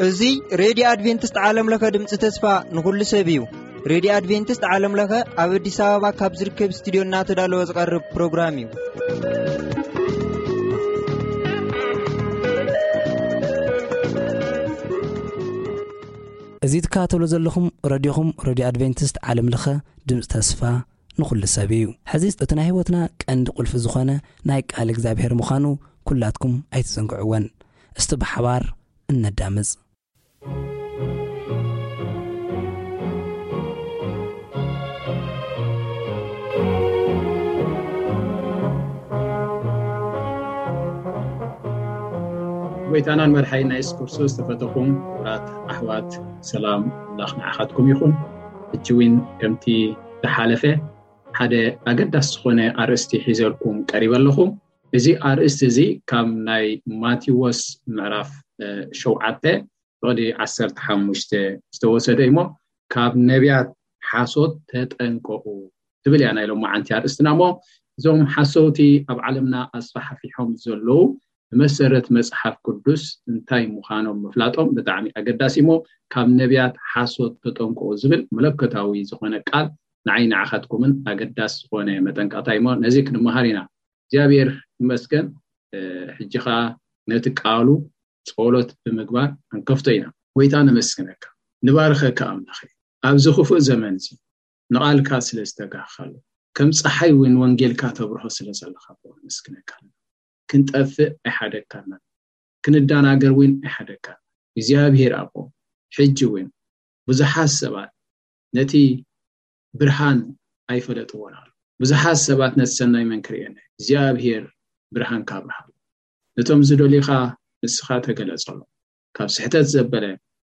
እዚ ሬድዮ ኣድቬንቲስት ዓለም ለኸ ድምፂ ተስፋ ንኹሉ ሰብ እዩ። ሬድዮ ኣድቬንቲስት ዓለም ለኸ ኣብ ኣዲስ ኣበባ ካብ ዝርከብ ስቱዲዮ እናተዳለወ ዝቐርብ ፕሮግራም እዩ። እዚ ትከታተሉ ዘለኹም ረድዮኹም ሬድዮ ኣድቬንቲስት ዓለም ለኸ ድምፂ ተስፋ ንኹሉ ሰብ እዩ። ሕዚ እቲ ናይ ህይወትና ቀንዲ ቁልፊ ዝኾነ ናይ ቃል እግዚኣብሔር ምዃኑ ኩላትኩም ኣይትዘንግዕወን። እስቲ ብሓባር እነዳምፅ። ጎይታናን መድሓይና የሱስ ክርስቶስ ዝተፈተኹም ክቡራት ኣሕዋት፣ ሰላም ኣምላኽ ንዓኻትኩም ይኹን። ሕጂ እውን ከምቲ ዝሓለፈ ሓደ ኣገዳሲ ዝኾነ ኣርእስቲ ሒዘልኩም ቀሪበ ኣለኹ። እዚ ኣርእስቲ እዚ ካብ ናይ ማቴዎስ ምዕራፍ ሸውዓተ ፍቕዲ ዓሰርተ ሓሙሽተ ዝተወሰደ እሞ፣ ካብ ነቢያት ሓሶት ተጠንቀቑ ትብል እያ ናይ ሎማዓንቲ ኣርእስትና። እሞ እዞም ሓሰውቲ ኣብ ዓለምና ኣስፋሕፊሖም ዘለዉ ብመሰረት መጽሓፍ ቅዱስ እንታይ ምዃኖም ምፍላጦም ብጣዕሚ ኣገዳሲ እሞ፣ ካብ ነቢያት ሓሶት ተጠንቀቑ ዝብል መለኮታዊ ዝኾነ ቃል ንዓይ ንዓኻትኩምን ኣገዳሲ ዝኾነ መጠንቀቕታ እሞ ነዚ ክንመሃር ኢና። እግዚኣብሔር ይመስገን። ሕጂ ኸዓ ነቲ ቃሉ ጸሎት ብምግባር ክንከፍቶ ኢና። ጎይታ ነመስግነካ፣ ንባርኸካ ኣምላኸ። ኣብዚ ክፉእ ዘመን እዚ ንቓልካ ስለ ዝተጋህኻሉ፣ ከም ጸሓይ እውን ወንጌልካ ተብርሆ ስለ ዘለኻ ነመስግነካ። ክንጠፍእ ኣይሓደግካና፣ ክንዳናገር እውን ኣይሓደግካና። እግዚኣብሔር ኣቦ፣ ሕጂ እውን ብዙሓት ሰባት ነቲ ብርሃን ኣይፈለጥዎን ኣሎ። ብዙሓት ሰባት ነቲ ሰናይ መን ክርእየና? እግዚኣብሔር ብርሃንካ ኣብርሃሉ። ነቶም ዝደልዩኻ ንስኻ ተገለጸሎም። ካብ ስሕተት ዘበለ፣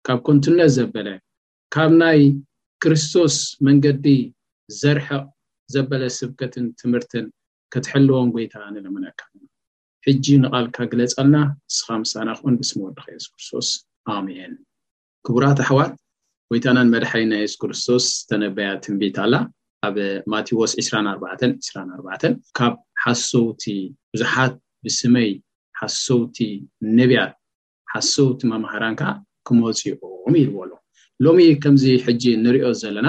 ካብ ከንቱነት ዘበለ፣ ካብ ናይ ክርስቶስ መንገዲ ዘርሕቕ ዘበለ ስብከትን ትምህርትን ክትሕልዎም ጎይታ ንለምነካ። ሕጂ ንቓልካ ግለጸልና፣ ንስኻ ምሳና ኩን፣ ብስም ወድኻ የሱስ ክርስቶስ፣ ኣሜን። ክቡራት ኣሕዋት፣ ጎይታናን መድሓኒና የሱስ ክርስቶስ ዝተነበያ ትንቢት ኣላ። ኣብ ማቴዎስ ዕስራን ኣርባዕተን፣ ዕስራን ኣርባዕተን፣ ካብ ሓሰውቲ ብዙሓት ብስመይ ሓሰውቲ ነቢያት፣ ሓሰውቲ መማህራን ከኣ ክመጹ እዮም ኢልዎ ኣሎ። ሎሚ ከምዚ ሕጂ ንሪኦ ዘለና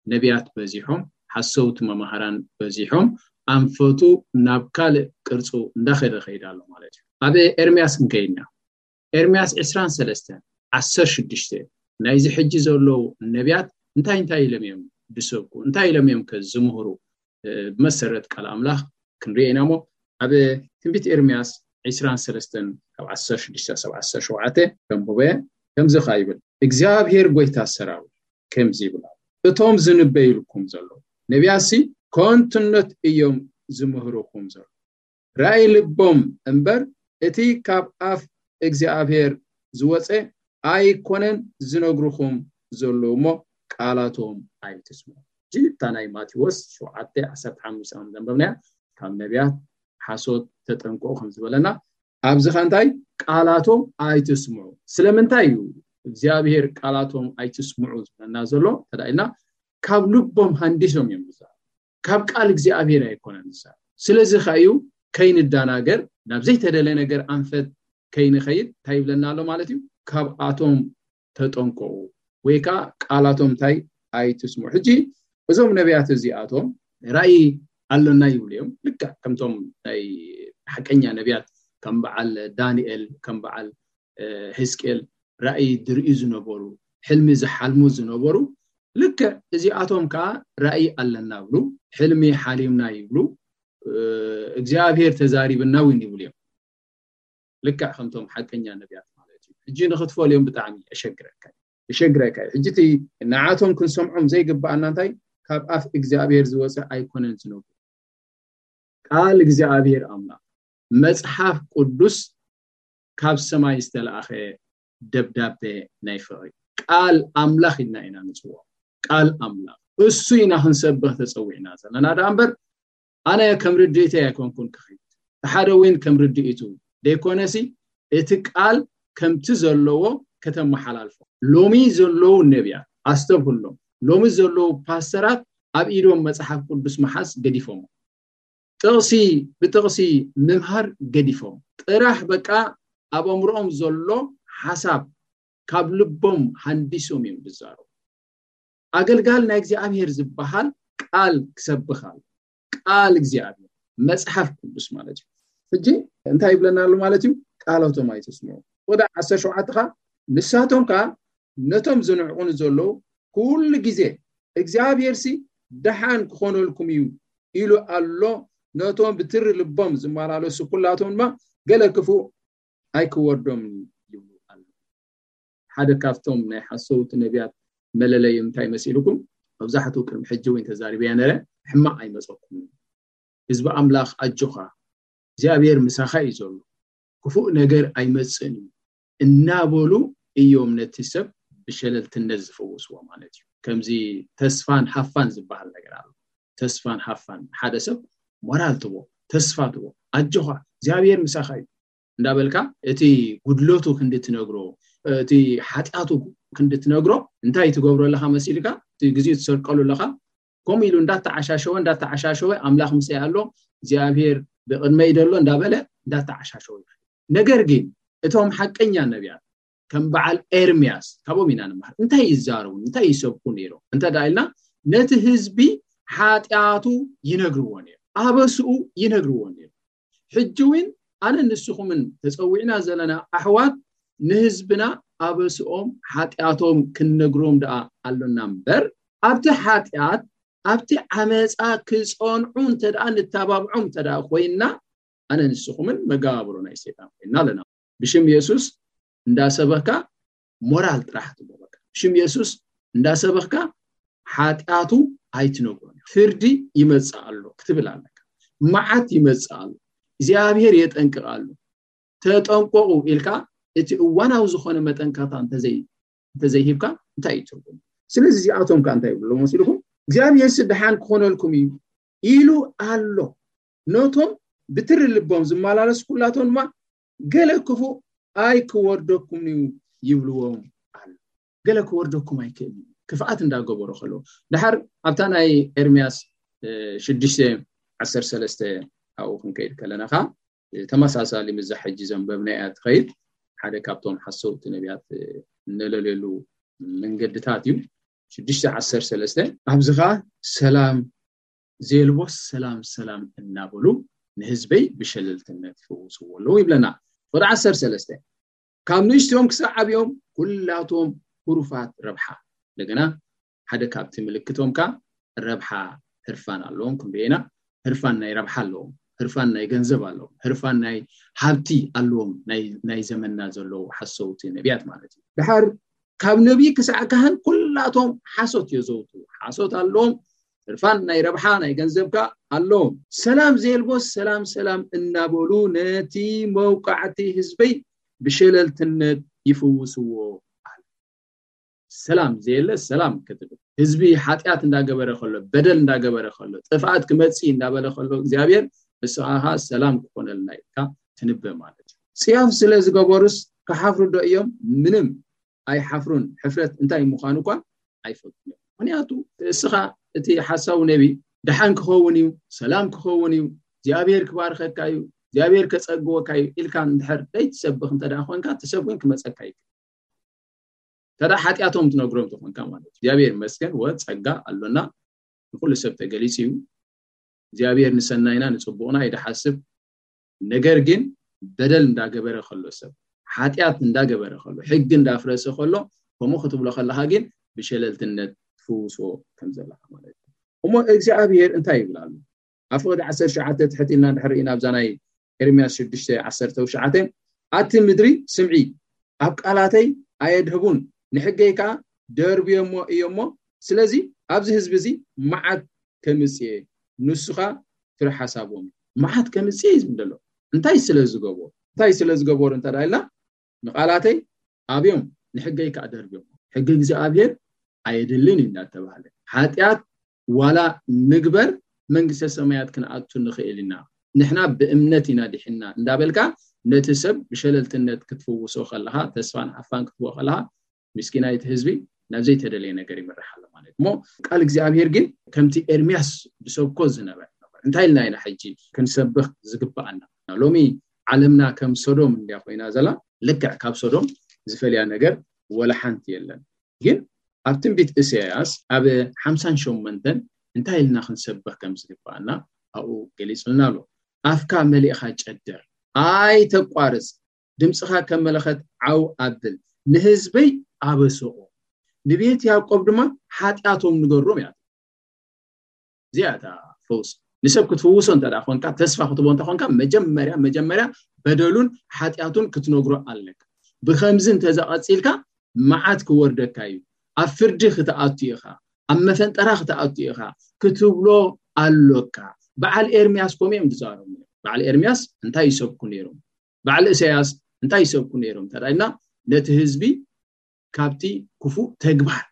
ነቢያት በዚሖም፣ ሓሰውቲ መማህራን በዚሖም፣ ኣንፈቱ ናብ ካልእ ቅርጹ እንዳኸደ ከይዳ ኣሎ ማለት እዩ። ኣብ ኤርምያስ ክንከይድና፣ ኤርምያስ ዕስራን ሰለስተን፣ ዓሰርተ ሽዱሽተ፣ ናይዚ ሕጂ ዘለዉ ነቢያት እንታይ እንታይ ኢሎም እዮም ዝሰብኩ? እንታይ ኢሎም እዮም ከ ዝምህሩ? እ፣ ብመሰረት ቃል ኣምላኽ ክንሪኦ ኢና እሞ፣ ኣብ ትንቢት ኤርምያስ ዕስራን ሰለስተን ካብ ዓሰርተ ሽዱሽተ ክሳብ ዓሰርተ ሸውዓተ ከንብቦ እየ። ከምዚ ኸኣ ይብል፣ እግዚኣብሔር ጎይታ ሰራዊት ከምዚ ይብል ኣሎ፣ እቶም ዝንበዩልኩም ዘለዉ ነቢያትሲ ከንቱነት እዮም ዝምህሩኹም ዘለዉ። ራእይ ልቦም እምበር፣ እቲ ካብ ኣፍ እግዚኣብሔር ዝወጸ ኣይኮነን ዝነግሩኹም ዘለዉ እሞ፣ ቃላቶም ኣይትስምዑ። ሕጂ እታ ናይ ማቴዎስ ሸውዓተ ዓሰርተ ሓሙሽተ ከም ዘንበብናያ፣ ካብ ነቢያት ሓሶት ተጠንቀቑ ከም ዝበለና፣ ኣብዚ ኸ እንታይ? ቃላቶም ኣይትስምዑ። ስለምንታይ እዩ እግዚኣብሔር ቃላቶም ኣይትስምዑ ዝብለና ዘሎ? ተዳኢልና፣ ካብ ልቦም ሃንዲሶም እዮም ዝዛረቡ። ካብ ቃል እግዚኣብሔር ኣይኮነን ዝዛረብ። ስለዚ ኸኣ እዩ ከይንዳናገር፣ ናብ ዘይተደለ ነገር ኣንፈት ከይንኸይድ እንታይ ይብለና ኣሎ ማለት እዩ? ካብኣቶም ተጠንቀቑ፣ ወይ ከኣ ቃላቶም እንታይ? ኣይትስምዑ። ሕጂ እዞም ነቢያት እዚኣቶም ራእይ ኣለና ይብሉ እዮም። ልክዕ ከምቶም ናይ ሓቀኛ ነቢያት ከም በዓል ዳንኤል፣ ከም በዓል፣ እ፣ ሕዝቅኤል ራእይ ዝርእዩ ዝነበሩ፣ ሕልሚ ዝሓልሙ ዝነበሩ፣ ልክዕ እዚኣቶም ከኣ ራእይ ኣለና ይብሉ፣ ሕልሚ ሓሊምና ይብሉ፣ እ፣ እግዚኣብሔር ተዛሪብና እውን ይብሉ እዮም። ልክዕ ከምቶም ሓቀኛ ነቢያት ማለት እዩ። ሕጂ ንኽትፈልዮም ብጣዕሚ የሸግረካ እዩ። የሸግረካ እዩ። ሕጂ እቲ ንዓቶም ክንሰምዖም ዘይግብኣና እንታይ? ካብ ኣፍ እግዚኣብሔር ዝወፀ ኣይኮነን ዝነግሩ። ቃል እግዚኣብሔር ኣምላኽ፣ መጽሓፍ ቅዱስ ካብ ሰማይ ዝተለኣኸ ደብዳቤ ናይ ፍቕሪ ቃል ኣምላኽ ኢልና ኢና ንጽውዖ። ቃል ኣምላኽ እሱ ኢና ክንሰብኽ ተጸዊዕና ዘለና። ደኣ እምበር ኣነ ከም ርድኢተይ ኣይኮንኩን ክኸይድ፣ እቲ ሓደ እውን ከም ርድኢቱ ደይኮነሲ፣ እቲ ቃል ከምቲ ዘለዎ ከተመሓላልፎ። ሎሚ ዘለዉ ነቢያት፣ ኣስተብህሎም፣ ሎሚ ዘለዉ ፓስተራት ኣብ ኢዶም መጽሓፍ ቅዱስ መሓዝ ገዲፎም፣ ጥቕሲ ብጥቕሲ ምምሃር ገዲፎም፣ ጥራሕ በቃ ኣብ ኣእምሮኦም ዘሎ ሓሳብ ካብ ልቦም ሃንዲሶም እዮም ዝዛረቡ። ኣገልጋሊ ናይ እግዚኣብሔር ዝበሃል ቃል ክሰብኽ ኣሎ። ቃል እግዚኣብሔር፣ መጽሓፍ ቅዱስ ማለት እዩ። ሕጂ እንታይ ይብለና ኣሎ ማለት እዩ? ቃሎቶም ኣይትስምዑ። ወደ ዓሰርተ ሸውዓተ ኸዓ፣ ንሳቶም ከኣ ነቶም ዝንዕቑኒ ዘለዉ ኩሉ ግዜ እግዚኣብሔር ሲ ደሓን ክኾነልኩም እዩ ኢሉ ኣሎ። ነቶም ብትሪ ልቦም ዝመላለሱ ኩላቶም ድማ ገለ ክፉእ ኣይክወርዶምን እዩ ይብሉ ኣሎ። ሓደ ካብቶም ናይ ሓሰውቲ ነቢያት መለለዩ እንታይ መሲልኩም? መብዛሕትኡ ቅድሚ ሕጂ እውን ተዛሪበያ ነረ፣ ሕማቕ ኣይመጸኩምን። ህዝቢ ኣምላኽ ኣጆኻ፣ እግዚኣብሔር ምሳኻ እዩ ዘሎ፣ ክፉእ ነገር ኣይመጽእን እዩ እናበሉ እዮም ነቲ ሰብ ብሸለልትነት ዝፈውስዎ ማለት እዩ። ከምዚ ተስፋን ሃፋን ዝበሃል ነገር ኣሎ። ተስፋን ሃፋን፣ ሓደ ሰብ ሞራል ትቦ፣ ተስፋ ትቦ፣ ኣጆኻ እግዚኣብሔር ምሳኻ እዩ እንዳበልካ፣ እቲ ጉድለቱ ክንዲ ትነግሮ፣ እቲ ሓጢኣቱ ክንዲ ትነግሮ፣ እንታይ ትገብሮ ኣለኻ መሲልካ? እቲ ግዜኡ ትሰርቀሉ ኣለኻ። ከምኡ ኢሉ እንዳተዓሻሸወ እንዳተዓሻሸወ፣ ኣምላኽ ምሳይ ኣሎ፣ እግዚኣብሔር ብቕድመይ ደሎ እንዳበለ እንዳተዓሻሸወ። ነገር ግን እቶም ሓቀኛ ነቢያት ከም በዓል ኤርምያስ ካብኦም ኢና ንመሃር። እንታይ ይዛረቡ፣ እንታይ ይሰብኩ ነይሮም እንተ ደኣ ኢልና፣ ነቲ ህዝቢ ሓጢኣቱ ይነግርዎ ነይሮም፣ ኣበስኡ ይነግርዎ ነይሮም። ሕጂ እውን ኣነ ንስኹምን ተጸዊዕና ዘለና ኣሕዋት ንህዝብና ኣበስኦም ሓጢኣቶም ክንነግሮም ደኣ ኣሎና እምበር፣ ኣብቲ ሓጢኣት ኣብቲ ዓመፃ ክፀንዑ እንተ ደኣ ንተባብዖም እንተ ደኣ ኮይንና፣ ኣነ ንስኹምን መጋባብሮ ናይ ሰይጣን ኮይንና ኣለና። ብሽም የሱስ እንዳሰበኽካ ሞራል ጥራሕ ትቦ፣ በቃ ብሽም የሱስ እንዳሰበኽካ ሓጢኣቱ ኣይትነግሮን። ፍርዲ ይመጽእ ኣሎ ክትብል ኣለካ። መዓት ይመጽእ ኣሎ፣ እግዚኣብሔር የጠንቅቕ ኣሎ። ተጠንቀቑ ኢልካ እቲ እዋናዊ ዝኾነ መጠንቀቕታ እንተዘይ እንተዘይሂብካ እንታይ እዩ ትርጉም? ስለዚ እዚኣቶም ከ እንታይ ይብሉ መሲልኩም? እግዚኣብሔር ሲ ደሓን ክኾነልኩም እዩ ኢሉ ኣሎ። ነቶም ብትሪ ልቦም ዝመላለሱ ኩላቶም ድማ ገለ ክፉእ ኣይክወርደኩም እዩ ይብልዎም ኣሎ። ገለ ክወርደኩም ኣይክእል እዩ፣ ክፍኣት እንዳገበሩ ከለዉ። ድሓር ኣብታ ናይ ኤርምያስ ሽዱሽተ ዓሰርተ ሰለስተ ኣብኡ ክንከይድ ከለና ኸዓ ተመሳሳሊ ምዛ ሕጂ ዘንበብናያ ትኸይድ። ሓደ ካብቶም ሓሰውቲ ነቢያት እነለልየሉ መንገድታት እዩ። ሽዱሽተ ዓሰርተ ሰለስተ ኣብዚ ኸዓ ሰላም ዘየልቦ ሰላም ሰላም እናበሉ ንህዝበይ ብሸለልትነት ይፍውስዎ ኣለዉ ይብለና። ወደ ዓሰርተ ሰለስተ ካብ ንእሽቶም ክሳብ ዓብዮም ኩላቶም ሁሩፋት ረብሓ። እንደገና ሓደ ካብቲ ምልክቶም ከ ረብሓ ህርፋን ኣለዎም ክንሪኤና። ህርፋን ናይ ረብሓ ኣለዎም፣ ህርፋን ናይ ገንዘብ ኣለዎም፣ ህርፋን ናይ ሃብቲ ኣለዎም። ናይ ዘመንና ዘለዉ ሓሰውቲ ነቢያት ማለት እዩ። ድሓር ካብ ነቢይ ክሳዕ ካህን ኩላቶም ሓሶት የዘውቱ። ሓሶት ኣለዎም፣ ህርፋን ናይ ረብሓ ናይ ገንዘብ ከ ኣለዎም። ሰላም ዘየልቦ ሰላም ሰላም እናበሉ ነቲ መውቃዕቲ ህዝበይ ብሸለልትነት ይፍውስዎ። ሰላም ዘየለ ሰላም ክትብል፣ ህዝቢ ሓጢኣት እንዳገበረ ከሎ፣ በደል እንዳገበረ ከሎ፣ ጥፍኣት ክመጽእ እንዳበለ ከሎ እግዚኣብሔር ንስኻ ሰላም ክኾነልና ኢልካ ትንበ ማለት እዩ። ጽያፍ ስለ ዝገበሩስ ክሓፍሩ ዶ እዮም? ምንም ኣይሓፍሩን። ሕፍረት እንታይ ምዃኑ እኳ ኣይፈልጡን እዮም። ምክንያቱ እስኻ እቲ ሓሳዊ ነቢ ደሓን ክኸውን እዩ፣ ሰላም ክኸውን እዩ፣ እግዚኣብሔር ክባርኸካ እዩ፣ እግዚኣብሔር ከጸግወካ እዩ ኢልካ እንድሕር ዘይትሰብኽ እንተ ደኣ ኮንካ፣ እቲ ሰብ እውን ክመጸካ እዩ። ተዳ ሓጢኣቶም ትነግሮም ተኾንካ ማለት እዩ። እግዚኣብሔር ይመስገን ወ ጸጋ ኣሎና፣ ንኩሉ ሰብ ተገሊጹ እዩ። እግዚኣብሔር ንሰናይና ንጽቡቕና እዩ ዝሓስብ። ነገር ግን በደል እንዳገበረ ከሎ፣ ሰብ ሓጢኣት እንዳገበረ ከሎ፣ ሕጊ እንዳፍረሰ ከሎ፣ ከምኡ ክትብሎ ከለኻ ግን ብሸለልትነት ትፍውስዎ ከም ዘለኻ ማለት እዩ። እሞ እግዚኣብሔር እንታይ ይብል ኣሎ? ኣብ ፍቕዲ ዓሰርተ ትሽዓተ ትሕት ኢልና እንድሕር ኢና ኣብዛ ናይ ኤርምያስ ሽዱሽተ ዓሰርተ ትሽዓተ፣ ኣቲ ምድሪ ስምዒ፣ ኣብ ቃላተይ ኣየድህቡን፣ ንሕገይ ከኣ ደርብዮሞ እዮሞ። ስለዚ ኣብዚ ህዝቢ እዚ መዓት ከምጽእ እየ፣ ንሱ ኸኣ ፍረ ሓሳቦም እዩ። መዓት ከምጽእ እዩ ዝብል ዘሎ እንታይ ስለ ዝገበሩ? እንታይ ስለ ዝገበሩ እንተ ደኣ ኢልና፣ ንቓላተይ ኣብዮም ንሕገይ ከኣ ደርብዮም። ሕጊ እግዚኣብሔር ኣየድልን እዩ እንዳተባህለ፣ ሓጢኣት ዋላ ንግበር መንግስተ ሰማያት ክንኣቱ ንኽእል ኢና፣ ንሕና ብእምነት ኢና ድሒንና እንዳበልካ ነቲ ሰብ ብሸለልትነት ክትፍውሶ ከለኻ፣ ተስፋን ሓፋን ክትህቦ ከለኻ፣ ምስኪናይቲ ህዝቢ ናብ ዘይተደለየ ነገር ይመርሕ ኣሎ ማለት እዩ። እሞ ቃል እግዚኣብሔር ግን ከምቲ ኤርምያስ ዝሰብኮ ዝነበረ ነበር። እንታይ ኢልና ኢና ሕጂ ክንሰብኽ ዝግብኣና? ሎሚ ዓለምና ከም ሶዶም እንድያ ኮይና ዘላ። ልክዕ ካብ ሶዶም ዝፈልያ ነገር ወላ ሓንቲ የለን። ግን ኣብ ትንቢት እሳያስ ኣብ ሓምሳን ሸሞንተን እንታይ ኢልና ክንሰብኽ ከም ዝግብኣና ኣብኡ ገሊጹልና ኣሎ። ኣፍካ መሊእኻ ጨድር፣ ኣይተቋርጽ፣ ድምፅኻ ከም መለኸት ዓው ኣብል፣ ንህዝበይ ኣበስኦ፣ ንቤት ያዕቆብ ድማ ሓጢኣቶም ንገሮም እያ። እዚኣ እታ ፈውስ። ንሰብ ክትፍውሶ እንተ ደኣ ኮንካ፣ ተስፋ ክትቦ እንተ ኮንካ፣ መጀመርያ መጀመርያ በደሉን ሓጢኣቱን ክትነግሮ ኣለካ። ብከምዚ እንተዘቐፂልካ መዓት ክወርደካ እዩ። ኣብ ፍርዲ ክትኣቱ ኢኻ፣ ኣብ መፈንጠራ ክትኣቱ ኢኻ ክትብሎ ኣሎካ። በዓል ኤርምያስ ከምኡ እዮም ዝዛረቡ። በዓል ኤርምያስ እንታይ ይሰብኩ ነይሮም? በዓል እሳያስ እንታይ ይሰብኩ ነይሮም እንተ ኢልና፣ ነቲ ህዝቢ ካብቲ ክፉእ ተግባር፣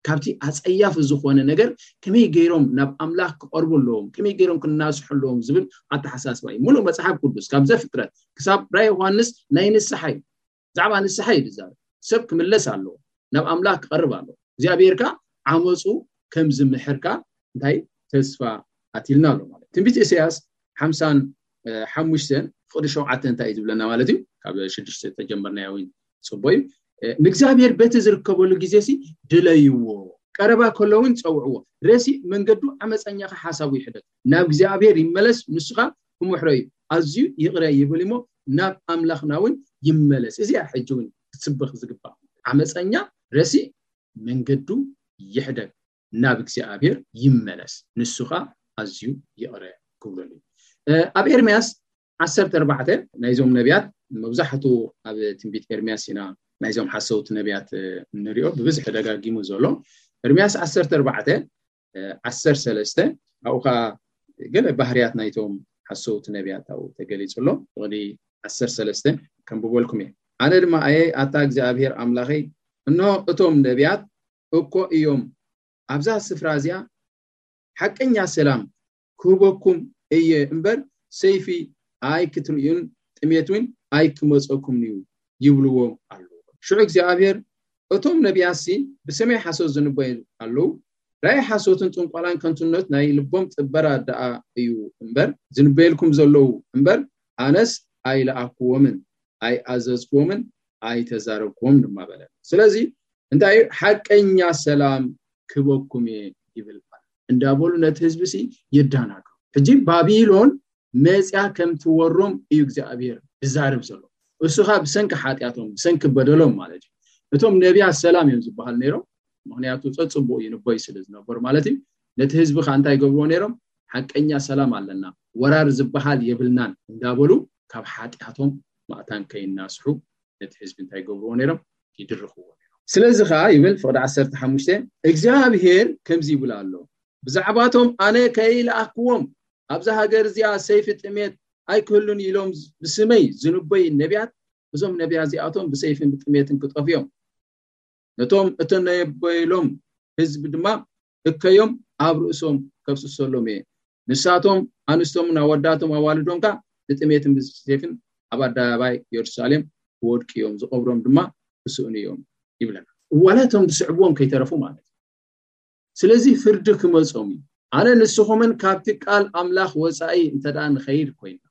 ካብቲ ኣጸያፊ ዝኾነ ነገር ከመይ ገይሮም ናብ ኣምላኽ ክቐርቡ ኣለዎም፣ ከመይ ገይሮም ክናስሑ ኣለዎም ዝብል ኣተሓሳስባ እዩ። ሙሉእ መጽሓፍ ቅዱስ ካብ ዘፍጥረት ክሳብ ራእይ ዮሃንስ ናይ ንስሓ እዩ። ብዛዕባ ንስሓ እዩ ዝዛረብ። ሰብ ክምለስ ኣለዎ፣ ናብ ኣምላኽ ክቐርብ ኣለዎ። እግዚኣብሔር ከኣ ዓመፁ ከም ዝምሕር ከኣ እንታይ ተስፋ ኣትልና ኣሎ ማለት እዩ። ትንቢት ኢሳያስ ሓምሳን ሓሙሽተን ፍቕዲ ሸውዓተ እንታይ እዩ ዝብለና ማለት እዩ? ካብ ሽዱሽተ ተጀመርናዮ እውን ጽቡቕ እዩ። ንእግዚኣብሔር በቲ ዝርከበሉ ግዜ ሲ ድለይዎ፣ ቀረባ ከሎ እውን ጸውዕዎ። ረሲእ መንገዱ ዓመፀኛ ሓሳቡ ይሕደግ፣ ናብ እግዚኣብሔር ይመለስ፣ ንሱ ኸኣ ክምሕሮ እዩ፣ ኣዝዩ ይቕረ ይብል እሞ ናብ ኣምላኽና እውን ይመለስ። እዚኣ ሕጂ እውን ክትስበኽ ዝግባእ። ዓመፀኛ ረሲእ መንገዱ ይሕደግ፣ ናብ እግዚኣብሔር ይመለስ፣ ንሱ ኸኣ ኣዝዩ ይቕረ ክብለሉ እዩ። ኣብ ኤርምያስ ዓሰርተ ኣርባዕተ ናይዞም ነቢያት፣ መብዛሕቱ ኣብ ትንቢት ኤርምያስ ኢና ናይዞም ሓሰውቲ ነቢያት እንሪኦ፣ ብብዝሒ ደጋጊሙ ዘሎ። ኤርምያስ ዓሰርተ ኣርባዕተ ዓሰርተ ሰለስተ፣ ኣብኡ ኸዓ ገለ ባህርያት ናይቶም ሓሰውቲ ነቢያት ኣብኡ ተገሊጹ ኣሎ። ፍቕዲ ዓሰርተ ሰለስተ ከንብበልኩም እየ። ኣነ ድማ ኣየ ኣታ እግዚኣብሔር ኣምላኸይ፣ እንሆ እቶም ነቢያት እኮ እዮም ኣብዛ ስፍራ እዚኣ ሓቀኛ ሰላም ክህበኩም እየ እምበር፣ ሰይፊ ኣይክትርእዩን ጥሜት እውን ኣይክመፀኩም እዩ ይብልዎም ኣለዉ። ሽዑ እግዚኣብሔር፣ እቶም ነቢያትሲ ብስመይ ሓሶት ዝንበዩ ኣለዉ። ራእይ ሓሶትን ጥንቆላን ከንቱነት ናይ ልቦም ጥበራ ደኣ እዩ እምበር ዝንበየልኩም ዘለዉ እምበር፣ ኣነስ ኣይለኣክዎምን ኣይኣዘዝክዎምን ኣይተዛረብክዎም ድማ በለ። ስለዚ እንታይ እዩ? ሓቀኛ ሰላም ክበኩም እየ ይብል እንዳበሉ ነቲ ህዝቢ ሲ የዳናግሩ። ሕጂ ባቢሎን መፅያ ከም ትወሮም እዩ እግዚኣብሔር ዝዛረብ ዘሎ። እሱ ኸዓ ብሰንኪ ሓጢኣቶም፣ ብሰንኪ በደሎም ማለት እዩ። እቶም ነቢያት ሰላም እዮም ዝበሃል ነይሮም፣ ምኽንያቱ ፀፅቡቕ ይንበዩ ስለ ዝነበሩ ማለት እዩ። ነቲ ህዝቢ ኸዓ እንታይ ይገብርዎ ነይሮም? ሓቀኛ ሰላም ኣለና፣ ወራር ዝበሃል የብልናን እንዳበሉ ካብ ሓጢኣቶም ማእታን ከይናስሑ ነቲ ህዝቢ እንታይ ይገብርዎ ነይሮም? ይድርኽዎ ነይሮም። ስለዚ ኸዓ ይብል ፍቕዲ ዓሰርተ ሓሙሽተ፣ እግዚኣብሔር ከምዚ ይብል ኣሎ፣ ብዛዕባቶም ኣነ ከይለኣክዎም ኣብዛ ሃገር እዚኣ ሰይፊ ጥሜት ኣይክህሉን ኢሎም ብስመይ ዝንበዩ ነቢያት፣ እዞም ነቢያት እዚኣቶም ብሰይፍን ብጥሜትን ክጠፍኡ እዮም። ነቶም እተነበየሎም ህዝቢ ድማ እከዮም ኣብ ርእሶም ከፍስሰሎም እየ። ንሳቶም ኣንስቶምን ኣወዳቶም ኣዋልዶም ከኣ ብጥሜትን ብሰይፍን ኣብ ኣደባባይ የሩሳሌም ክወድቁ እዮም፣ ዝቐብሮም ድማ ክስእኑ እዮም ይብለና። ዋላ እቶም ዝስዕብዎም ከይተረፉ ማለት እዩ። ስለዚ ፍርዲ ክመጾም እዩ። ኣነ ንስኹምን ካብቲ ቃል ኣምላኽ ወጻኢ እንተ ደኣ ንኸይድ ኮይና፣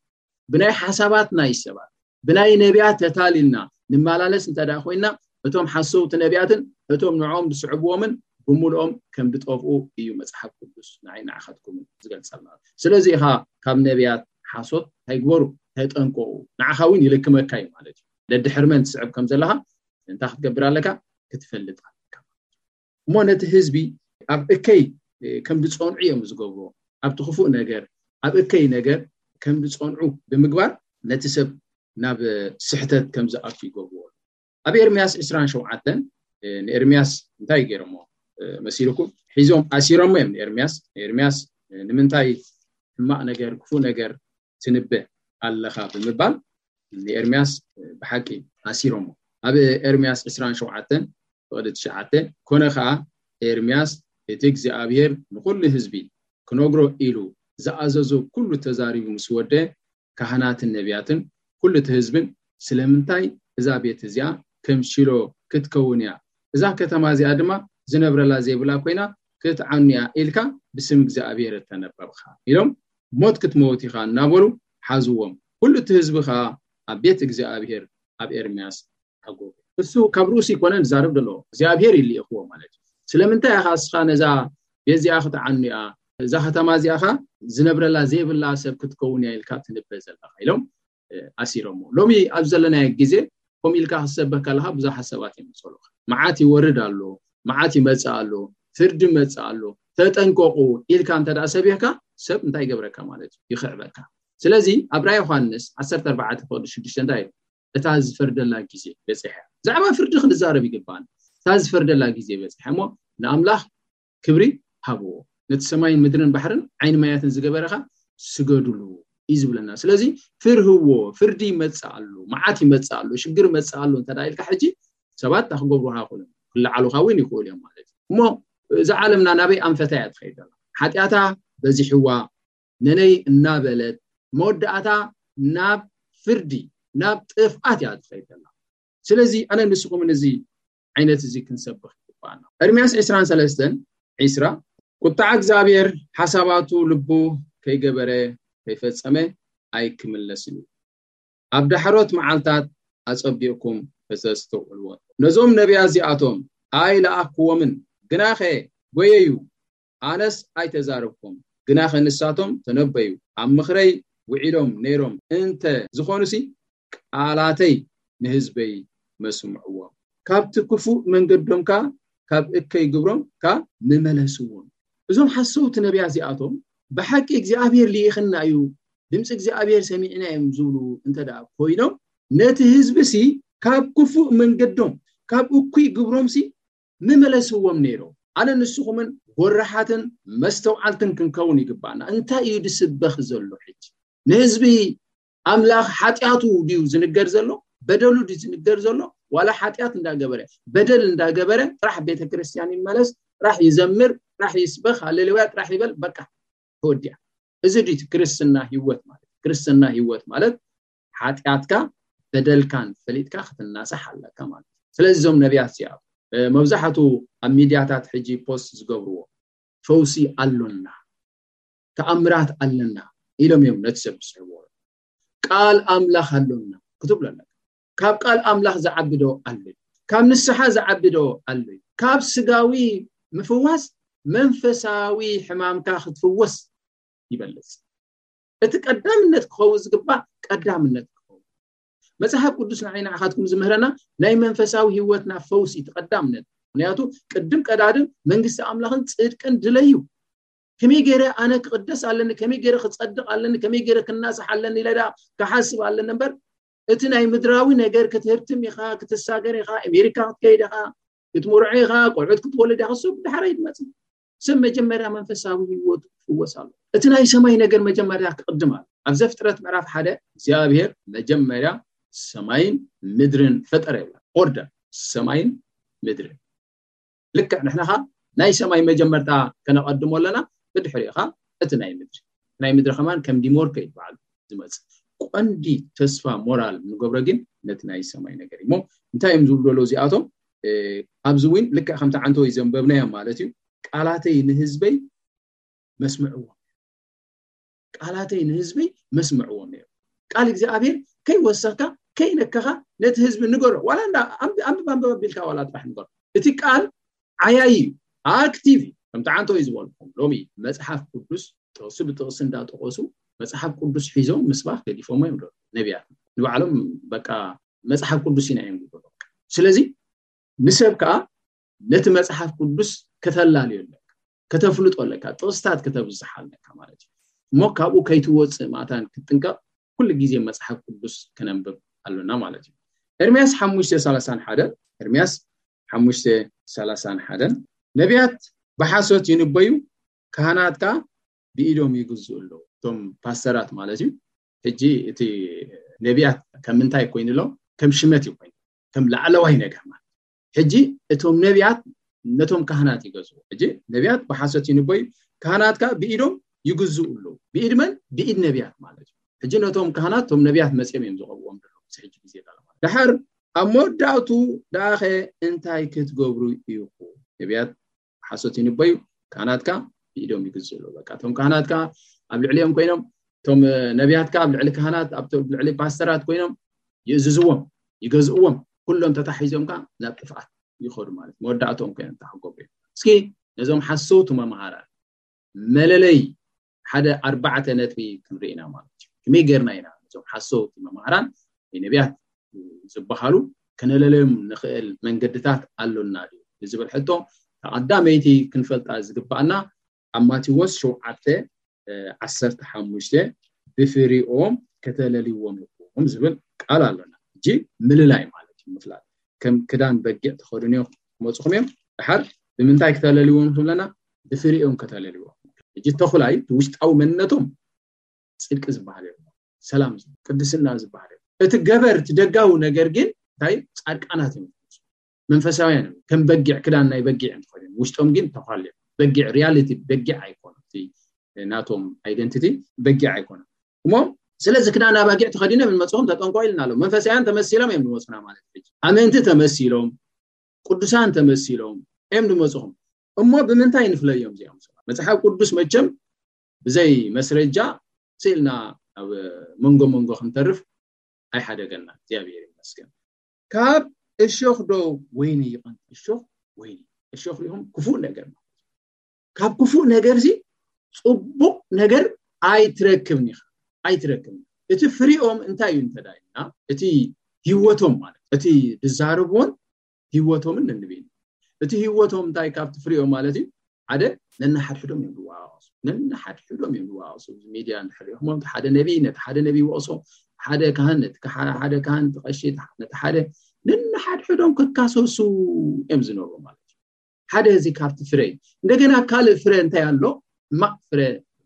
ብናይ ሓሳባት ናይ ሰባት፣ ብናይ ነቢያት ተታሊልና ንመላለስ እንተ ደኣ ኮይና፣ እቶም ሓሰውቲ ነቢያትን እቶም ንዕኦም ዝስዕብዎምን ብምልኦም ከም ዝጠፍኡ እዩ መጽሓፍ ቅዱስ ንዓይ ንዓኻትኩምን ዝገልጸልና። ስለዚ ኢኻ ካብ ነቢያት ሓሶት እንታይ ግበሩ? ተጠንቀቑ። ንዓኻ እውን ይልክመካ እዩ ማለት እዩ። ደድሕር መን ትስዕብ ከም ዘለኻ እንታይ ክትገብር ኣለካ? ክትፈልጥ ኣለካ። እሞ ነቲ ህዝቢ ኣብ እከይ ከም ዝጸንዑ እዮም ዝገብርዎ። ኣብቲ ክፉእ ነገር፣ ኣብ እከይ ነገር ከም ዝጸንዑ ብምግባር ነቲ ሰብ ናብ ስሕተት ከም ዝኣቱ ይገብርዎ። ኣብ ኤርምያስ ዕስራን ሸውዓተን ንኤርምያስ እንታይ ገይሮሞ መሲልኩም? ሒዞም ኣሲሮሞ እዮም ንኤርምያስ። ንኤርምያስ ንምንታይ ሕማቕ ነገር፣ ክፉእ ነገር ትንበ ኣለኻ ብምባል ንኤርምያስ ብሓቂ ኣሲሮሞ። ኣብ ኤርምያስ ዕስራን ሸውዓተን ፍቕዲ ትሽዓተ፣ ኮነ ኸኣ ኤርምያስ እቲ እግዚኣብሔር ንኹሉ ህዝቢ ክነግሮ ኢሉ ዝኣዘዞ ኩሉ ተዛሪቡ ምስ ወደ፣ ካህናትን ነቢያትን ኩሉ እቲ ህዝብን፣ ስለምንታይ እዛ ቤት እዚኣ ከም ሺሎ ክትከውን እያ፣ እዛ ከተማ እዚኣ ድማ ዝነብረላ ዘይብላ ኮይና ክትዓኑ እያ ኢልካ ብስም እግዚኣብሔር እተነበብኻ ኢሎም፣ ሞት ክትመውት ኢኻ እናበሉ ሓዝዎም። ኩሉ እቲ ህዝቢ ኸዓ ኣብ ቤት እግዚኣብሔር ኣብ ኤርምያስ ሓጎገ። እሱ ካብ ርእሱ ይኮነን ዝዛረብ ዘሎ፣ እግዚኣብሔር ይልእኽዎ ማለት እዩ። ስለምንታይ ኢኻ እስኻ ነዛ ቤት እዚኣ ክትዓኑ እያ፣ እዛ ከተማ እዚኣ ኸዓ ዝነብረላ ዘይብላ ሰብ ክትከውን እያ ኢልካ ትንበ ዘለኻ ኢሎም ኣሲሮሞ። ሎሚ ኣብ ዘለናዮ ግዜ ከምኡ ኢልካ ክትሰበክ ከለኻ ብዙሓት ሰባት እዮም ዝጸልኡኻ። መዓት ይወርድ ኣሎ፣ መዓት ይመጽእ ኣሎ፣ ፍርዲ ይመጽእ ኣሎ፣ ተጠንቀቑ ኢልካ እንተ ደኣ ሰቢኽካ ሰብ እንታይ ይገብረካ ማለት እዩ? ይኽዕበካ። ስለዚ ኣብ ራእይ ዮሃንስ ዓሰርተ ኣርባዕተ ፍቕዲ ሽዱሽተ እንታይ እዩ? እታ ዝፈርደላ ግዜ በጺሐ። ብዛዕባ ፍርዲ ክንዛረብ ይግባን። እታ ዝፈርደላ ግዜ በጺሐ እሞ ንኣምላኽ ክብሪ ሃብዎ። ነቲ ሰማይን ምድርን ባሕርን ዓይኒ ማያትን ዝገበረኻ ስገዱሉ እዩ ዝብለና። ስለዚ ፍርህዎ፣ ፍርዲ ይመጽእ ኣሎ፣ መዓት ይመጽእ ኣሎ፣ ሽግር ይመጽእ ኣሎ እንተ ኢልካ ሕጂ ሰባት ክገብሩኻ ይኽእሉ እዮም፣ ክለዓሉኻ እውን ይኽእሉ እዮም ማለት እዩ። እሞ እዛ ዓለምና ናበይ ኣንፈታ እያ ትኸይድ ዘላ? ሓጢኣታ በዚሕዋ ነነይ እናበለት መወዳእታ ናብ ፍርዲ ናብ ጥፍኣት እያ ትኸይድ ዘላ። ስለዚ ኣነ ንስኹምን እዚ ዓይነት እዚ ክንሰብኽ ይግባኣና። ኤርምያስ ዕስራን ሰለስተን ዕስራ ቁጣዕ እግዚኣብሔር ሓሳባቱ ልቡ ከይገበረ ከይፈጸመ ኣይክምለስን እዩ። ኣብ ዳሕሮት መዓልታት ኣጸቢቕኩም ከተስተውዕልዎ። ነዞም ነቢያት እዚኣቶም ኣይለኣኽኩዎምን፣ ግናኸ ጎየዩ፣ ኣነስ ኣይተዛረብኩም፣ ግናኸ ንሳቶም ተነበዩ፣ ኣብ ምኽረይ ውዒሎም ነይሮም እንተ ዝኾኑሲ ቃላተይ ንህዝበይ መስምዕዎም፣ ካብቲ ክፉእ መንገዶም ከኣ ካብ እከይ ግብሮም ከኣ ምመለስዎም። እዞም ሓሰውቲ ነቢያት እዚኣቶም ብሓቂ እግዚኣብሔር ልኢኽና እዩ፣ ድምፂ እግዚኣብሔር ሰሚዕና እዮም ዝብሉ እንተ ደኣ ኮይኖም ነቲ ህዝቢ ሲ ካብ ክፉእ መንገዶም ካብ እኩይ ግብሮም ሲ ምመለስዎም ነይሮም። ኣነ ንስኹምን ጎረሓትን መስተውዓልትን ክንከውን ይግባና። እንታይ እዩ ዝስበኽ ዘሎ ሕጂ? ንህዝቢ ኣምላኽ ሓጢኣቱ ድዩ ዝንገር ዘሎ? በደሉ ድዩ ዝንገር ዘሎ? ዋላ ሓጢኣት እንዳገበረ በደል እንዳገበረ ጥራሕ ቤተ ክርስቲያን ይመለስ፣ ጥራሕ ይዘምር፣ ጥራሕ ይስበኽ፣ ሃሌሉያ ጥራሕ ይበል፣ በቃ ተወዲኣ። እዚ ድዩ ክርስትና ህይወት ማለት? ክርስትና ህይወት ማለት ሓጢኣትካ በደልካን ፈሊጥካ ክትናሳሕ ኣለካ ማለት እዩ። ስለዚ እዞም ነቢያት እዚኣ መብዛሕቱ ኣብ ሚድያታት ሕጂ ፖስት ዝገብርዎ ፈውሲ ኣሎና፣ ተኣምራት ኣለና ኢሎም እዮም ነቲ ሰብ ዝስሕብዎ። ቃል ኣምላኽ ኣሎና ክትብሎ ኣለካ። ካብ ቃል ኣምላኽ ዝዓቢ ዶ ኣሎ? ካብ ንስሓ ዝዓቢ ዶ ኣሎ? ካብ ስጋዊ ምፍዋስ መንፈሳዊ ሕማምካ ክትፍወስ ይበልጽ። እቲ ቀዳምነት ክኸውን ዝግባእ ቀዳምነት ክኸውን። መጽሓፍ ቅዱስ ንዓይ ንዓኻትኩም ዝምህረና ናይ መንፈሳዊ ህይወትና ፈውሲ እቲ ቀዳምነት። ምክንያቱ ቅድም ቀዳድም መንግስቲ ኣምላኽን ጽድቅን ድለዩ። ከመይ ገይረ ኣነ ክቕደስ ኣለኒ፣ ከመይ ገይረ ክጸድቕ ኣለኒ፣ ከመይ ገይረ ክናሳሕ ኣለኒ ኢለ ደኣ ክሓስብ ኣለኒ እምበር እቲ ናይ ምድራዊ ነገር ክትህርትም ኢኻ፣ ክትሳገር ኢኻ፣ ኣሜሪካ ክትከይድ ኢኻ፣ ክትምርዖ ኢኻ፣ ቆልዑት ክትወልድ ኢኻ፣ ሰብ ድሓር ኣይትመጽእ። ሰብ መጀመርያ መንፈሳዊ ህይወቱ ክፍወስ ኣሎ። እቲ ናይ ሰማይ ነገር መጀመርያ ክቕድም ኣሎ። ኣብ ዘፍጥረት ምዕራፍ ሓደ እግዚኣብሔር መጀመርያ ሰማይን ምድርን ፈጠረ ይብላ። ኦርደር ሰማይን ምድርን። ልክዕ ንሕና ኸ ናይ ሰማይ መጀመርታ ከነቐድሞ ኣለና፣ ብድሕሪኡ ኸ እቲ ናይ ምድሪ። ናይ ምድሪ ከማን ከም ዲሞርኮ እዩ በዓሉ ዝመጽእ። ቀንዲ ተስፋ ሞራል ንገብሮ ግን ነቲ ናይ ሰማይ ነገር እዩ። እሞ እንታይ እዮም ዝብሉ ዘለዉ እዚኣቶም? እ፣ ኣብዚ እውን ልክዕ ከምቲ ዓንተወይ ዘንበብናዮም ማለት እዩ። ቃላተይ ንህዝበይ መስምዕዎም፣ ቃላተይ ንህዝበይ መስምዕዎም ነይሩ። ቃል እግዚኣብሔር ከይወሰኽካ ከይነከኻ ነቲ ህዝቢ ንገሮ። ዋላ እንዳ ኣንብ-፣ ኣንብብ ኣንብብ ኣቢልካ ዋላ ጥራሕ ንገሮ። እቲ ቃል ዓያይ እዩ፣ ኣክቲቭ እዩ። ከምቲ ዓንተወይ ዝበልኩም ሎሚ መጽሓፍ ቅዱስ ጥቕሲ ብጥቕሲ እንዳጠቐሱ መጽሓፍ ቅዱስ ሒዞም ምስባኽ ገዲፎሞ እዮም ዶ ነቢያት። ንባዕሎም በቃ መጽሓፍ ቅዱስ ኢና እዮም ዝብሉ። ስለዚ ንሰብ ከኣ ነቲ መጽሓፍ ቅዱስ ከተላልዮ ኣለካ፣ ከተፍልጦ ኣለካ፣ ጥቕስታት ከተብዝሓ ኣለካ ማለት እዩ። እሞ ካብኡ ከይትወጽእ ማእታን ክትጥንቀቕ ኩሉ ግዜ መጽሓፍ ቅዱስ ከነንብብ ኣሎና ማለት እዩ። ኤርምያስ ሓሙሽተ ሰላሳን ሓደን፣ ኤርምያስ ሓሙሽተ ሰላሳን ሓደን፣ ነቢያት ብሓሶት ይንበዩ፣ ካህናት ከኣ ብኢዶም ይግዝኡ ኣለዉ። እቶም ፓስተራት ማለት እዩ። ሕጂ እቲ ነቢያት ከም ምንታይ ኮይኑ ኣሎ? ከም ሽመት እዩ ኮይኑ፣ ከም ላዕለዋይ ነገር ማለት። ሕጂ እቶም ነቢያት ነቶም ካህናት ይገዝኡ። ሕጂ ነቢያት ብሓሶት ይንበዩ፣ ካህናት ከኣ ብኢዶም ይግዝኡ ኣለዉ። ብኢድ መን? ብኢድ ነቢያት ማለት እዩ። ሕጂ ነቶም ካህናት እቶም ነቢያት መጺኦም እዮም ዝቐብዎም ዘለዉ። እዚ ሕጂ ግዜ ዳኣ ማለት። ድሓር ኣብ መወዳእቱ ደኣኸ እንታይ ክትገብሩ ኢኹም? ነቢያት ሓሶት ይንበዩ፣ ካህናት ከኣ ብኢዶም ይግዝኡ ኣለዉ። በቃ እቶም ካህናት ከኣ ኣብ ልዕሊኦም ኮይኖም፣ እቶም ነቢያት ከኣ ኣብ ልዕሊ ካህናት፣ ኣብ ልዕሊ ፓስተራት ኮይኖም ይእዝዝዎም፣ ይገዝእዎም። ኩሎም ተታሒዞም ከኣ ናብ ጥፍኣት ይኸዱ ማለት መወዳእቶም ኮይኖም ተሓጎቡ እዮም። እስኪ ነዞም ሓሰውቲ መምሃራን መለለይ ሓደ ኣርባዕተ ነጥቢ ክንርኢ ኢና ማለት እዩ። ከመይ ጌርና ኢና ነዞም ሓሰውቲ መምሃራን ወይ ነቢያት ዝበሃሉ ከነለለዮም ንኽእል መንገድታት ኣሎና ድዩ ንዝብል ሕቶ፣ ቀዳመይቲ ክንፈልጣ ዝግባኣና ኣብ ማቴዎስ ሸውዓተ ዓሰርተ ሓሙሽተ ብፍሪኦም ከተለልይዎም ኢኹም ዝብል ቃል ኣሎና። ሕጂ ምልላይ ማለት እዩ፣ ምፍላጥ። ከም ክዳን በጊዕ ተኸድንዮ ክመፅኹም እዮም። ድሓር ብምንታይ ክተለልይዎም ኣለና? ብፍሪኦም ከተለልይዎም። ሕጂ ተኹላይ ውሽጣዊ መንነቶም ጽድቂ ዝበሃል የሎ፣ ሰላም፣ ቅድስና ዝበሃል የሎ። እቲ ገበር፣ እቲ ደጋዊ ነገር ግን እንታይ? ጻድቃናት እዮም፣ መንፈሳውያን እዮም። ከም በጊዕ፣ ክዳን ናይ በጊዕ እዮም ተኸዲኖም፣ ውሽጦም ግን ተኳል እዮም። በጊዕ ሪያሊቲ በጊዕ ኣይኮኑ። እቲ ናቶም ኣይደንቲቲ በጊዕ ኣይኮኑ። እሞ ስለዚ ክዳን ኣባጊዕ ተኸዲኖም ንመጽኹም ተጠንቀቑ ኢልና ኣሎ። መንፈሳውያን ተመሲሎም እዮም ዝመጹና ማለት እዩ። ኣመንቲ ተመሲሎም፣ ቅዱሳን ተመሲሎም እዮም ዝመጽኹም። እሞ ብምንታይ ንፍለዮም እዚኦም ሰባት? መጽሓፍ ቅዱስ መቸም ብዘይ መስረጃ ስኢልና ኣብ መንጎ መንጎ ክንተርፍ ኣይሓደገና። እግዚኣብሔር ይመስገን። ካብ እሾኽ ዶ ወይኒ ይቐንጥ? እሾኽ ወይኒ፣ እሾኽ ሪኹም ክፉእ ነገር ማለት እዩ። ካብ ክፉእ ነገር እዚ ጽቡቕ ነገር ኣይትረክብን ኢኻ፣ ኣይትረክብን። እቲ ፍሪኦም እንታይ እዩ እንተ ኢልና፣ እቲ ህይወቶም ማለት እቲ ዝዛረብዎን ህይወቶምን ነንብይን። እቲ ህይወቶም እንታይ ካብቲ ፍሪኦም ማለት እዩ? ሓደ ነንሓድሕዶም እዮም ዝወቃቀሱ፣ ነንሓድሕዶም እዮም ዝወቃቀሱ። እዚ ሚድያ እንድሕር ሪእኹሞም፣ እቲ ሓደ ነቢይ ነቲ ሓደ ነቢይ ይወቅሶ፣ ሓደ ካህን ነቲ ሓደ ካህን፣ እቲ ቀሺ ነቲ ሓደ፣ ነንሓድሕዶም ክካሰሱ እዮም ዝነብሩ ማለት እዩ። ሓደ እዚ ካብቲ ፍረ እዩ። እንደገና ካልእ ፍረ እንታይ ኣሎ? ሕማቕ ፍረ።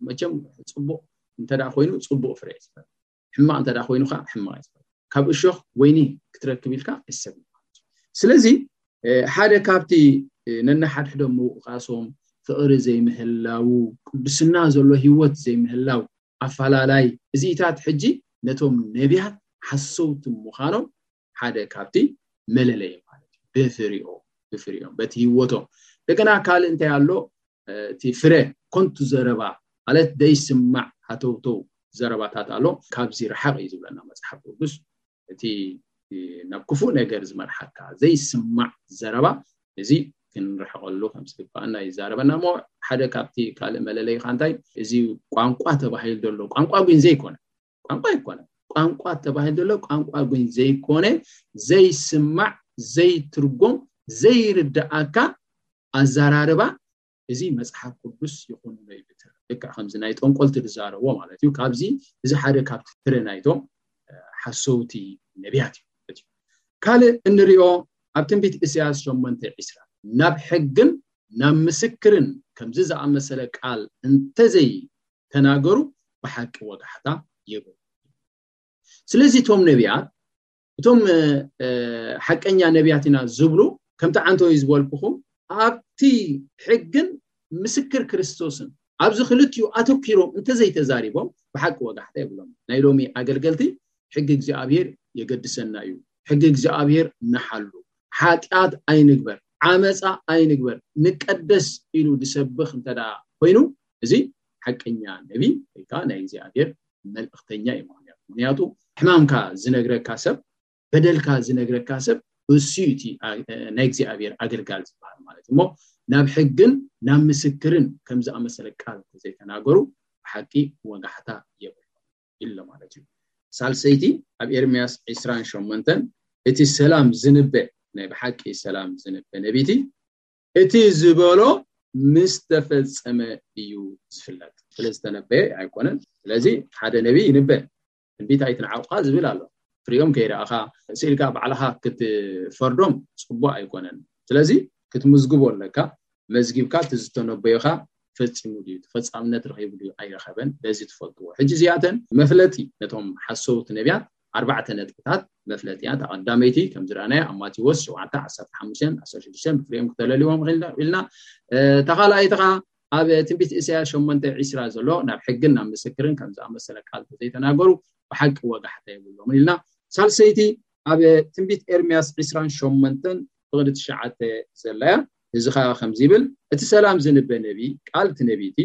መቸም ጽቡቕ እንተ ኮይኑ ጽቡቕ ፍረ እዩ ዝፈሪ፣ ሕማቕ እንተ ኮይኑ ከዓ ሕማቕ እዩ ዝፈሪ። ካብ እሾኽ ወይኒ ክትረክብ ኢልካ ኣይሰብን። ስለዚ ሓደ ካብቲ ነንሓድሕዶም ምውቃሶም፣ ፍቕሪ ዘይምህላው፣ ቅድስና ዘሎ ህይወት ዘይምህላው ኣፈላላይ እዚኢታት ሕጂ ነቶም ነቢያት ሓሰውቲ ምዃኖም ሓደ ካብቲ መለለይ ማለት እዩ። ብፍሪኦም፣ ብፍሪኦም፣ በቲ ህይወቶም። እንደገና ካልእ እንታይ ኣሎ? እቲ ፍረ ኮንቱ ዘረባ ማለት ዘይስማዕ ሃተውተው ዘረባታት ኣሎ። ካብዚ ርሓቕ እዩ ዝብለና መጽሓፍ ቅዱስ። እቲ ናብ ክፉእ ነገር ዝመርሓካ ዘይስማዕ ዘረባ፣ እዚ ክንርሕቐሉ ከም ዝግባኣና ይዛረበና። እሞ ሓደ ካብቲ ካልእ መለለይኻ እንታይ? እዚ ቋንቋ ተባሂሉ ዘሎ ቋንቋ ግን ዘይኮነ፣ ቋንቋ ኣይኮነ፣ ቋንቋ ተባሂሉ ዘሎ ቋንቋ ግን ዘይኮነ፣ ዘይስማዕ፣ ዘይትርጎም፣ ዘይርዳኣካ ኣዘራርባ፣ እዚ መጽሓፍ ቅዱስ ይኹን ዶ ይብትር። ልክዕ ከምዚ ናይ ጠንቆልቲ ዝዛረብዎ ማለት እዩ። ካብዚ እዚ ሓደ ካብቲ ፍረ ናይቶም ሓሰውቲ ነቢያት እዩ። ካልእ እንሪኦ ኣብ ትንቢት ኢሳያስ ሸሞንተ ዕስራ፣ ናብ ሕግን ናብ ምስክርን ከምዚ ዝኣመሰለ ቃል እንተዘይተናገሩ ብሓቂ ወጋሕታ የብሉ። ስለዚ እቶም ነቢያት፣ እቶም ሓቀኛ ነቢያት ኢና ዝብሉ፣ ከምቲ ዓንተወይ ዝበልኩኹም፣ ኣብቲ ሕግን ምስክር ክርስቶስን ኣብዚ ክልቲኡ ኣተኪሮም እንተዘይተዛሪቦም ብሓቂ ወጋሕታ የብሎም። ናይ ሎሚ ኣገልገልቲ ሕጊ እግዚኣብሔር የገድሰና እዩ፣ ሕጊ እግዚኣብሔር ንሓሉ፣ ሓጢኣት ኣይንግበር፣ ዓመፃ ኣይንግበር፣ ንቀደስ ኢሉ ዝሰብኽ እንተ ኮይኑ፣ እዚ ሓቀኛ ነቢ ወይ ከዓ ናይ እግዚኣብሔር መልእክተኛ እዩ። ምክንያቱ፣ ምክንያቱ ሕማምካ ዝነግረካ ሰብ፣ በደልካ ዝነግረካ ሰብ፣ እሱ እዩ እቲ ናይ እግዚኣብሔር ኣገልጋል ዝበሃል ማለት እሞ፣ ናብ ሕግን ናብ ምስክርን ከም ዝኣመሰለ ቃል ዘይተናገሩ ብሓቂ ወጋሕታ የብሉ ኢሎ ማለት እዩ። ሳልሰይቲ፣ ኣብ ኤርምያስ ዕስራን ሸሞንተን እቲ ሰላም ዝንበ፣ ናይ ብሓቂ ሰላም ዝንበ ነቢቲ፣ እቲ ዝበሎ ምስ ተፈጸመ እዩ ዝፍለጥ። ስለ ዝተነበየ ኣይኮነን። ስለዚ ሓደ ነቢይ ይንበ፣ ትንቢት ኣይትንዓቑኻ ዝብል ኣሎ። ፍሪኦም ከይረኣኻ ስኢልካ ባዕልኻ ክትፈርዶም ጽቡቕ ኣይኮነን። ስለዚ ክትምዝግቦ ኣለካ። መዝጊብካ እቲ ዝተነበዮኻ ፈጺሙ ድዩ፣ ተፈጻምነት ረኺቡ ድዩ ኣይረኸበን፣ በዚ ትፈልጥዎ። ሕጂ እዚኣተን መፍለጢ ነቶም ሓሰውቲ ነቢያት ኣርባዕተ ነጥብታት መፍለጢ እያ። እታ ቀዳመይቲ ከም ዝረኣናዮ ኣብ ማቴዎስ ሸውዓተ ዓሰርተ ሓሙሽተ ዓሰርተ ሽዱሽተ ብፍሬኦም ክተለልዎም ኢልና። እታ ካልኣይቲ ኸዓ ኣብ ትንቢት ኢሳያስ ሸሞንተ ዕስራ ዘሎ ናብ ሕግን ናብ ምስክርን ከም ዝኣመሰለ ቃል ዘይተናገሩ ብሓቂ ወጋሕታ የብሎምን ኢልና። ሳልሰይቲ ኣብ ትንቢት ኤርምያስ ዕስራን ሸሞንተን ፍቕዲ ትሽዓተ ዘላ እያ። እዚ ከዓ ከምዚ ይብል፣ እቲ ሰላም ዝንበ ነቢ ቃል እቲ ነቢቲ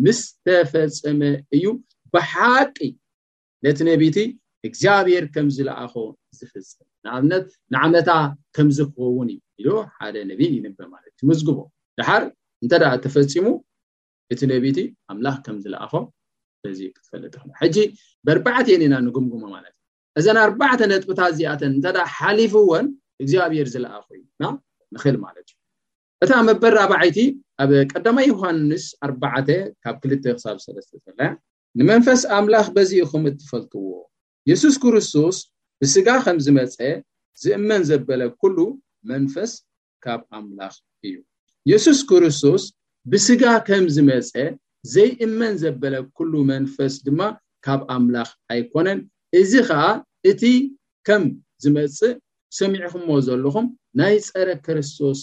ምስ ተፈጸመ እዩ ብሓቂ ነቲ ነቢቲ እግዚኣብሔር ከም ዝለኣኾ ዝፍጽም። ንኣብነት ንዓመታ ከም ዝኸውን እዩ ኢሉ ሓደ ነቢ ይንበ ማለት እዩ። ትምዝግቦ ድሓር እንተ ደኣ ተፈጺሙ እቲ ነቢቲ ኣምላኽ ከም ዝለኣኾ በዚ ክትፈልጥ ኢኻ። ሕጂ በርባዕቴን ኢና ንግምግሞ ማለት እዩ። እዘን ኣርባዕተ ነጥብታት እዚኣተን እንተ ደኣ ሓሊፍወን እግዚኣብሔር ዝለኣኾ እዩ ና ንኽእል ማለት እዩ። እታ መበል ራብዓይቲ ኣብ ቀዳማይ ዮሃንስ ኣርባዕተ ካብ ክልተ ክሳብ ሰለስተ ዘላ፣ ንመንፈስ ኣምላኽ በዚ ኢኹም እትፈልጥዎ፣ የሱስ ክርስቶስ ብስጋ ከም ዝመጸ ዝእመን ዘበለ ኩሉ መንፈስ ካብ ኣምላኽ እዩ። የሱስ ክርስቶስ ብስጋ ከም ዝመጸ ዘይእመን ዘበለ ኩሉ መንፈስ ድማ ካብ ኣምላኽ ኣይኮነን። እዚ ኸኣ እቲ ከም ዝመጽእ ሰሚዕኹሞ ዘለኹም ናይ ጸረ ክርስቶስ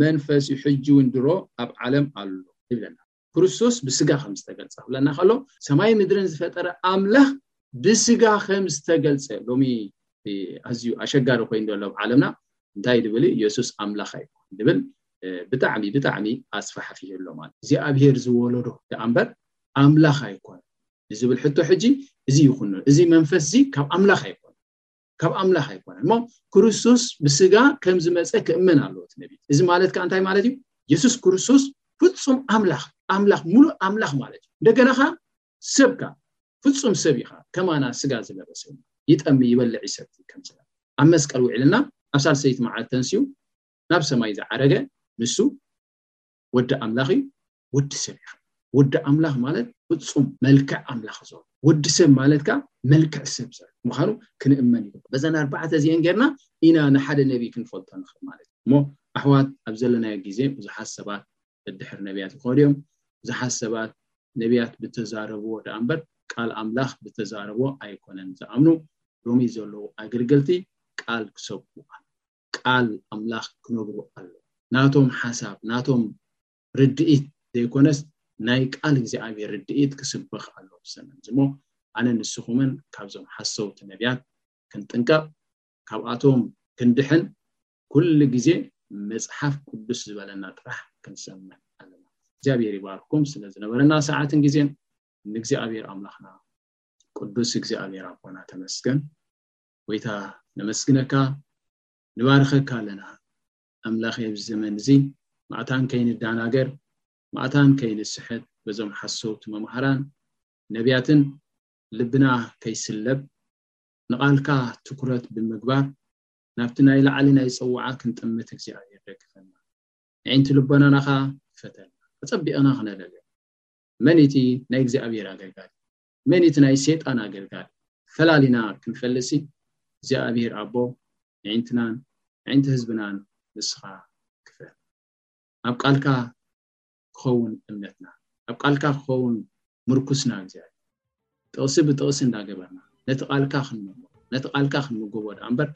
መንፈስ እዩ፣ ሕጂ እውን ድሮ ኣብ ዓለም ኣሎ ይብለና። ክርስቶስ ብስጋ ከም ዝተገልጸ ክብለና ከሎ፣ ሰማይ ምድርን ዝፈጠረ ኣምላኽ ብስጋ ከም ዝተገልጸ ሎሚ ኣዝዩ ኣሸጋሪ ኮይኑ ዘሎ ኣብ ዓለምና። እንታይ ድብል? ኢየሱስ ኣምላኽ ኣይኮን ድብል። ብጣዕሚ ብጣዕሚ ኣስፋሕፊሑ ኣሎ ማለት እግዚኣብሔር ዝወለዶ ደኣ እምበር ኣምላኽ ኣይኮን ንዝብል ሕቶ ሕጂ እዚ ይኹን እዚ መንፈስ እዚ ካብ ኣምላኽ ኣይኮን ካብ ኣምላኽ ኣይኮነን እሞ ክርስቶስ ብስጋ ከም ዝመፀ ክእመን ኣለዎ እቲ ነቢ። እዚ ማለት ከዓ እንታይ ማለት እዩ? የሱስ ክርስቶስ ፍጹም ኣምላኽ ኣምላኽ ሙሉእ ኣምላኽ ማለት እዩ። እንደገና ከዓ ሰብካ ፍጹም ሰብ ኢኻ። ከማና ስጋ ዝለበሰ ይጠሚ ይበልዕ ይሰቲ ከም ስጋ ኣብ መስቀል ውዒልና ኣብ ሳልሰይቲ መዓልቲ ተንስዩ ናብ ሰማይ ዝዓረገ ንሱ ወዲ ኣምላኽ እዩ። ወዲ ሰብ እዩ። ወዲ ኣምላኽ ማለት ፍጹም መልክዕ ኣምላኽ ዘሎ ወዲ ሰብ ማለት ከዓ መልክዕ ሰብ ዘሎ ምዃኑ ክንእመን ይግባእ። በዘን ኣርባዕተ እዚአን ጌርና ኢና ንሓደ ነቢይ ክንፈልጦ ንኽእል ማለት እዩ። እሞ ኣሕዋት ኣብ ዘለናዮ ግዜ ብዙሓት ሰባት ድሕር ነቢያት ይኸዱ እዮም። ብዙሓት ሰባት ነቢያት ብተዛረብዎ ደኣ እምበር ቃል ኣምላኽ ብተዛረብዎ ኣይኮነን ዝኣምኑ። ሎሚ ዘለዉ ኣገልገልቲ ቃል ክሰብኩ ቃል ኣምላኽ ክነግሩ ኣሎ። ናቶም ሓሳብ ናቶም ርድኢት ዘይኮነስ ናይ ቃል እግዚኣብሔር ርድኢት ክስበኽ ኣሎ ብሰንበት እሞ ኣነ ንስኹምን ካብዞም ሓሰውቲ ነቢያት ክንጥንቀቕ ካብኣቶም ክንድሕን ኩሉ ግዜ መፅሓፍ ቅዱስ ዝበለና ጥራሕ ክንሰምዕ ኣለና። እግዚኣብሔር ይባርኩም ስለ ዝነበረና ሰዓትን ግዜን ንእግዚኣብሔር ኣምላኽና ቅዱስ እግዚኣብሔር ኣቦና ተመስገን። ጎይታ ነመስግነካ ንባርኸካ ኣለና። ኣምላኽ ኣብዚ ዘመን እዚ ማእታን ከይንዳናገር ማእታን ከይንስሕት በዞም ሓሰውቲ መምሃራን ነቢያትን ልብና ከይስለብ ንቓልካ ትኩረት ብምግባር ናብቲ ናይ ላዕሊ ናይ ጽዋዓ ክንጥምት እግዚኣብሔር ደግፈና። ንዕንቲ ልቦናና ኸዓ ክፈተልና ኣጸቢቕና ክነለልዮ መን እቲ ናይ እግዚኣብሔር ኣገልጋሊ መን እቲ ናይ ሰይጣን ኣገልጋሊ ፈላሊና ክንፈልሲ እግዚኣብሔር ኣቦ ንዕንትናን ንዕንቲ ህዝብናን ንስኻ ክፈል ኣብ ቃልካ ክኸውን እምነትና ኣብ ቃልካ ክኸውን ምርኩስና እግዚኣብሔር ጥቕሲ ብጥቕሲ እንዳገበርና ነቲ ቃልካ ክንመሞ ነቲ ቃልካ ክንምገቦ ደኣ እምበር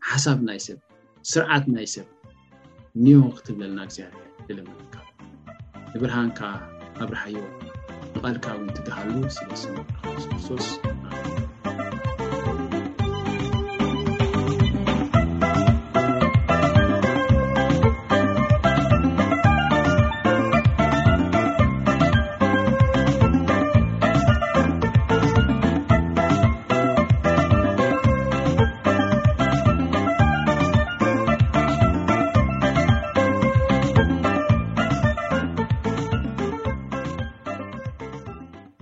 ሓሳብ ናይ ሰብ ስርዓት ናይ ሰብ ኒዮ ክትብለልና እግዚኣብሔር ይልምንካ ንብርሃንካ ኣብርሃዮ ንቃልካ እውን ትግሃሉ ስለ ስም ክርስቶስ